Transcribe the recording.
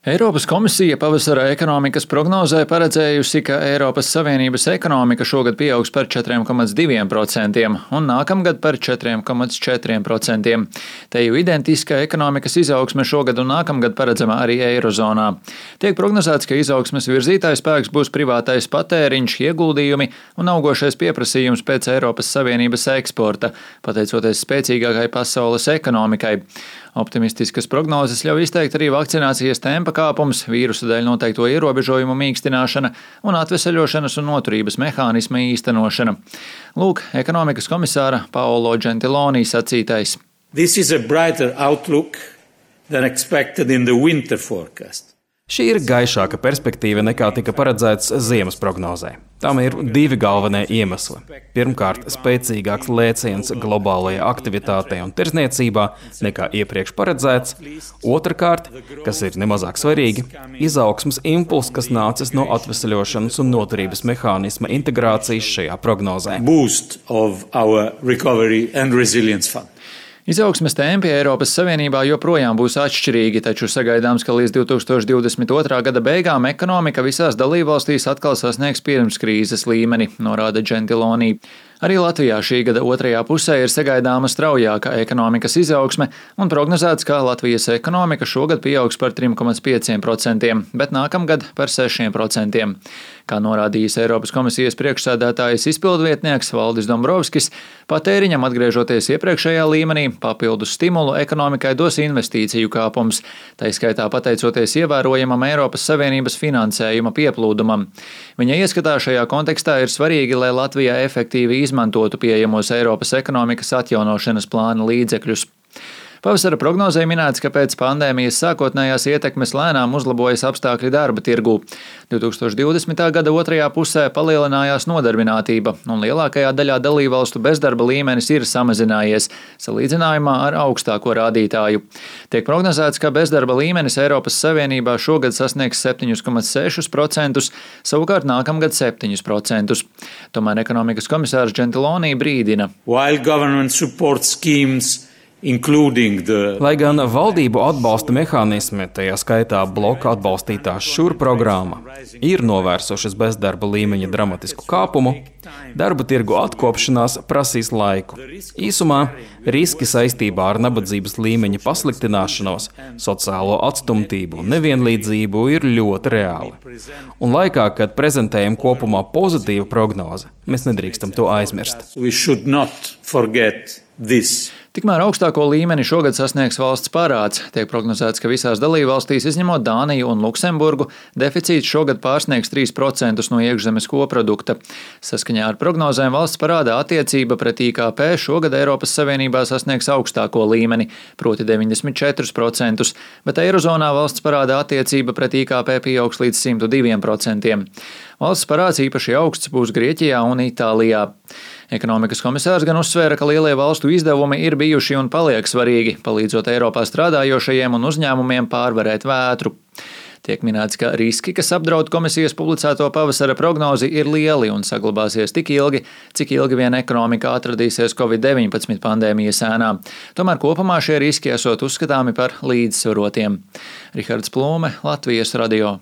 Eiropas komisija pavasara ekonomikas prognozē paredzējusi, ka Eiropas Savienības ekonomika šogad pieaugs par 4,2% un nākamgad par 4,4%. Te jau identiska ekonomikas izaugsme šogad un nākamgad paredzama arī Eirozonā. Tiek prognozēts, ka izaugsmes virzītājs spēks būs privātais patēriņš, ieguldījumi un augošais pieprasījums pēc Eiropas Savienības eksporta, pateicoties spēcīgākai pasaules ekonomikai. Optimistiskas prognozes ļauj izteikt arī vakcinācijas tempa kāpums, vīrusa dēļ noteikto ierobežojumu mīkstināšana un atveseļošanas un noturības mehānisma īstenošana. Lūk, ekonomikas komisāra Paolo Gentiloni sacītais. This is a brighter outlook than expected in the winter forecast. Šī ir gaišāka perspektīva nekā tika paredzēts ziemas prognozē. Tam ir divi galvenie iemesli. Pirmkārt, spēcīgāks lēciens globālajā aktivitātē un tirdzniecībā nekā iepriekš paredzēts. Otrkārt, kas ir nemazāk svarīgi, izaugsmes impulss, kas nācis no atveseļošanas un noturības mehānisma integrācijas šajā prognozē. Boost of our recovery and resilience fund. Izaugsmes tempi Eiropas Savienībā joprojām būs atšķirīgi, taču sagaidāms, ka līdz 2022. gada beigām ekonomika visās dalībvalstīs atkal sasniegs pirmskrīzes līmeni, norāda Gentiloni. Arī Latvijā šī gada otrajā pusē ir sagaidāma straujāka ekonomikas izaugsme un prognozēts, ka Latvijas ekonomika šogad pieaugs par 3,5%, bet nākamgad par 6%. Kā norādījis Eiropas komisijas priekšsēdētājas izpildvietnieks Valdis Dombrovskis, patēriņam atgriežoties iepriekšējā līmenī, papildus stimulu ekonomikai dos investīciju kāpums, tai skaitā pateicoties ievērojamam Eiropas Savienības finansējuma pieplūdumam. Viņa ieskatā šajā kontekstā ir svarīgi, lai Latvija efektīvi izmantotu pieejamos Eiropas ekonomikas atjaunošanas plāna līdzekļus. Pavasara prognozē minēts, ka pēc pandēmijas sākotnējās ietekmes lēnām uzlabojas apstākļi darba tirgū. 2020. gada otrajā pusē palielinājās nodarbinātība, un lielākajā daļā dalībvalstu bezdarba līmenis ir samazinājies, salīdzinājumā ar augstāko rādītāju. Tiek prognozēts, ka bezdarba līmenis Eiropas Savienībā šogad sasniegs 7,6%, savukārt nākamgad 7%. Tomēr ekonomikas komisārs Gentiloni brīdina. Lai gan valdību atbalsta mehānismi, tajā skaitā bloka atbalstītā šur programma, ir novērsušas bezdarba līmeņa dramatisku kāpumu, darba tirgu atkopšanās prasīs laiku. Īsumā riski saistībā ar nabadzības līmeņa pasliktināšanos, sociālo atstumtību un nevienlīdzību ir ļoti reāli. Un laikā, kad prezentējam kopumā pozitīvu prognozi, mēs nedrīkstam to aizmirst. Tikmēr augstāko līmeni šogad sasniegs valsts parāds. Tiek prognozēts, ka visās dalībvalstīs, izņemot Dāniju un Luksemburgu, deficīts šogad pārsniegs 3% no iekšzemes koprodukta. Saskaņā ar prognozēm valsts parāda attiecība pret IKP šogad Eiropas Savienībā sasniegs augstāko līmeni, proti 94%, bet Eirozonā valsts parāda attiecība pret IKP pieaugs līdz 102%. Valsts parāds īpaši augsts būs Grieķijā un Itālijā. Ekonomikas komisārs gan uzsvēra, ka lielie valstu izdevumi ir bijuši un paliek svarīgi, palīdzot Eiropā strādājošajiem un uzņēmumiem pārvarēt vētru. Tiek minēts, ka riski, kas apdraud komisijas publicēto pavasara prognozi, ir lieli un saglabāsies tik ilgi, cik ilgi vien ekonomika atradīsies Covid-19 pandēmijas ēnā. Tomēr kopumā šie riski esot uzskatāmi par līdzsvarotiem. Rihards Plūme, Latvijas radio.